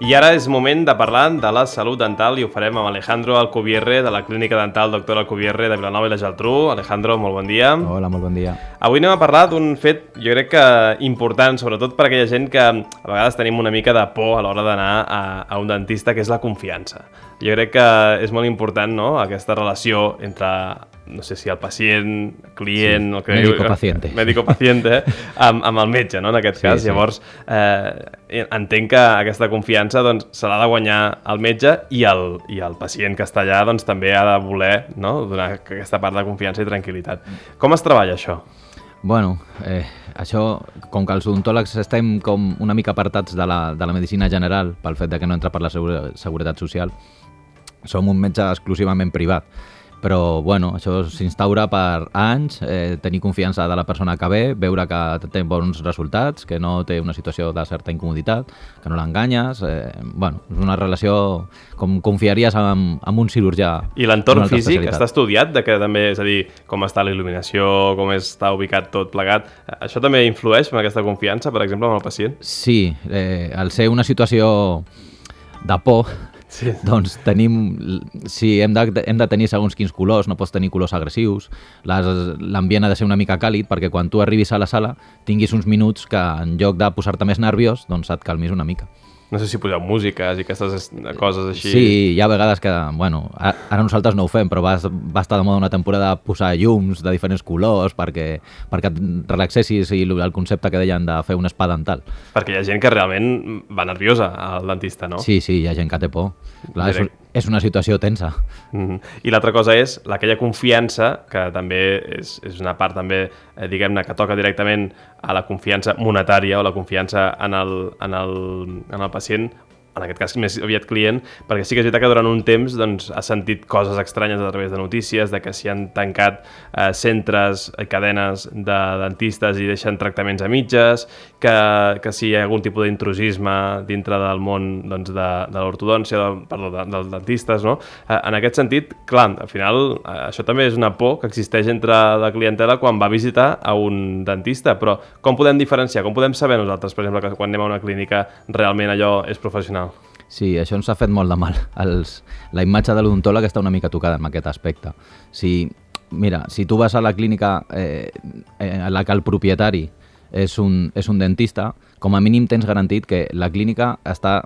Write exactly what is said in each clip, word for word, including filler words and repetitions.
I ara és moment de parlar de la salut dental i ho farem amb Alejandro Alcubierre de la Clínica Dental Doctor Alcubierre de Vilanova i la Geltrú. Alejandro, molt bon dia. Hola, molt bon dia. Avui anem a parlar d'un fet, jo crec que important, sobretot per aquella gent que a vegades tenim una mica de por a l'hora d'anar a, a un dentista, que és la confiança. Jo crec que és molt important, no?, aquesta relació entre, no sé si el pacient, client... Sí, el que médico-paciente. Médico-paciente, amb, amb el metge, no?, en aquest sí, cas. Sí. Llavors, eh, entenc que aquesta confiança doncs, se l'ha de guanyar el metge i el, i el pacient que està allà doncs, també ha de voler, no?, donar aquesta part de confiança i tranquil·litat. Com es treballa això? Bueno, eh, això, com que els odontòlegs estem com una mica apartats de la, de la medicina general pel fet de que no entra per la Seguretat Social, som un metge exclusivament privat. Però, bueno, això s'instaura per anys, eh, tenir confiança de la persona que ve, veure que té bons resultats, que no té una situació de certa incomoditat, que no l'enganyes... Eh, bueno, és una relació com confiaries amb, amb un cirurgià. I l'entorn físic està estudiat, de que també, és a dir, com està la il·luminació, com està ubicat tot plegat, això també influeix en aquesta confiança, per exemple, amb el pacient? Sí, eh, al ser una situació de por... Sí. Doncs tenim, si hem de, hem de tenir segons quins colors, no pots tenir colors agressius, l'ambient ha de ser una mica càlid perquè quan tu arribis a la sala tinguis uns minuts que en lloc de posar-te més nerviós, doncs et calmis una mica. No sé si poseu músiques i aquestes coses així... Sí, hi ha vegades que, bueno, ara nosaltres no ho fem, però va, va estar de moda una temporada posar llums de diferents colors perquè, perquè et relaxessis i el concepte que deien de fer un spa dental. Perquè hi ha gent que realment va nerviosa al dentista, no? Sí, sí, hi ha gent que té por. Clar, és, és una situació tensa. Mm-hmm. I l'altra cosa és aquella confiança, que també és, és una part també, eh, diguem-ne, que toca directament a la confiança monetària o la confiança en el, en el, en el pacient, en aquest cas més aviat client, perquè sí que és veritat que durant un temps doncs, ha sentit coses estranyes a través de notícies, de que s'hi han tancat eh, centres i cadenes de dentistes i deixen tractaments a mitges, que, que si hi ha algun tipus d'intrusisme dintre del món doncs, de, de l'ortodòncia, de, perdó, de, dels dentistes, no? Eh, en aquest sentit, clar, al final eh, això també és una por que existeix entre la clientela quan va a visitar a un dentista, però com podem diferenciar, com podem saber nosaltres, per exemple, que quan anem a una clínica realment allò és professional? Sí, això ens ha fet molt de mal. Els, la imatge de l'odontòleg està una mica tocada en aquest aspecte. Si, mira, si tu vas a la clínica eh, en la que el propietari és un, és un dentista, com a mínim tens garantit que la clínica està,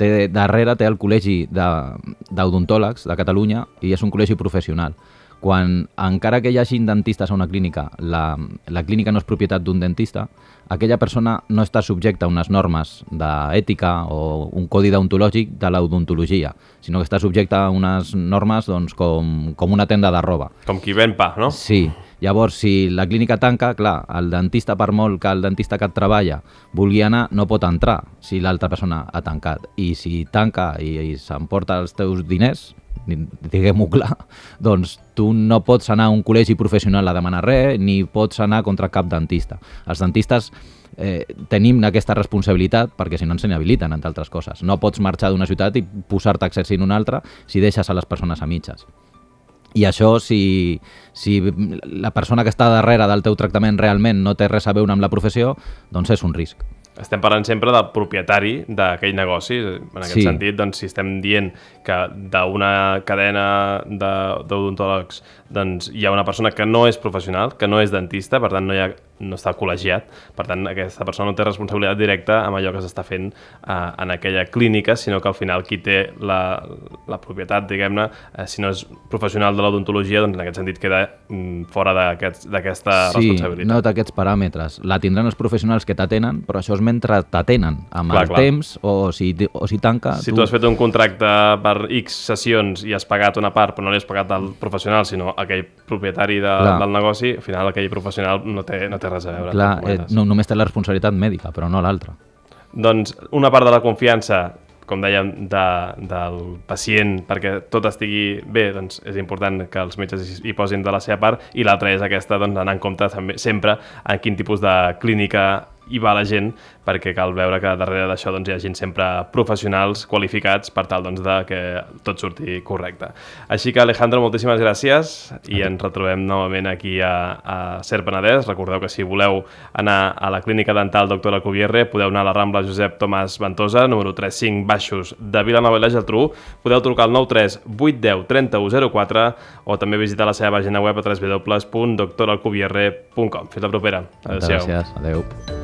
té, darrere té el Col·legi d'Odontòlegs de, de Catalunya i és un col·legi professional. Quan, encara que hi hagi dentistes a una clínica, la, la clínica no és propietat d'un dentista, aquella persona no està subjecta a unes normes d'ètica o un codi deontològic de l'odontologia, sinó que està subjecta a unes normes doncs, com, com una tenda de roba. Com qui ven pa, no? Sí. Llavors, si la clínica tanca, clar, el dentista, per molt que el dentista que et treballa vulgui anar, no pot entrar si l'altra persona ha tancat. I si tanca i, i s'emporta els teus diners, diguem-ho clar, doncs tu no pots anar a un col·legi professional a demanar res, ni pots anar contra cap dentista. Els dentistes eh, tenim aquesta responsabilitat perquè si no ens inhabiliten, entre altres coses. No pots marxar d'una ciutat i posar-te a exercir en una altra si deixes a les persones a mitges. I això, si, si la persona que està darrere del teu tractament realment no té res a veure amb la professió, doncs és un risc. Estem parlant sempre del propietari d'aquell negoci. En aquest sí. sentit, doncs, si estem dient que d'una cadena d'odontòlegs doncs, hi ha una persona que no és professional, que no és dentista, per tant no, hi ha, no està col·legiat, per tant aquesta persona no té responsabilitat directa amb allò que s'està fent eh, en aquella clínica, sinó que al final qui té la, la propietat, diguem-ne, eh, si no és professional de l'odontologia, doncs en aquest sentit queda mm, fora d'aquesta sí, responsabilitat. Sí, no té aquests paràmetres. La tindran els professionals que t'atenen, però això és mentre t'atenen amb clar, el clar. temps o si, o si tanca... Si tu... tu has fet un contracte per X sessions i has pagat una part, però no li has pagat al professional, sinó aquell propietari de, del negoci, al final aquell professional no té, no té res a veure. Clar, eh, no, només té la responsabilitat mèdica, però no l'altra. Doncs una part de la confiança, com dèiem, de, del pacient, perquè tot estigui bé, doncs és important que els metges hi posin de la seva part, i l'altra és aquesta, doncs, anar en compte també, sempre en quin tipus de clínica hi va la gent, perquè cal veure que darrere d'això doncs, hi ha gent sempre professionals, qualificats, per tal doncs, de que tot surti correcte. Així que, Alejandro, moltíssimes gràcies i ens retrobem novament aquí a, a Ser Penedès. Recordeu que si voleu anar a la clínica dental doctor Alcubierre podeu anar a la Rambla Josep Tomàs Ventosa, número tres cinc baixos de Vilanova i la Geltrú. Podeu trucar al nou tres vuit deu trenta-u zero quatre o també visitar la seva pàgina web a w w w punt doctor alcubierre punt com. Fins la propera. Adéu-siau. Gràcies. Adéu.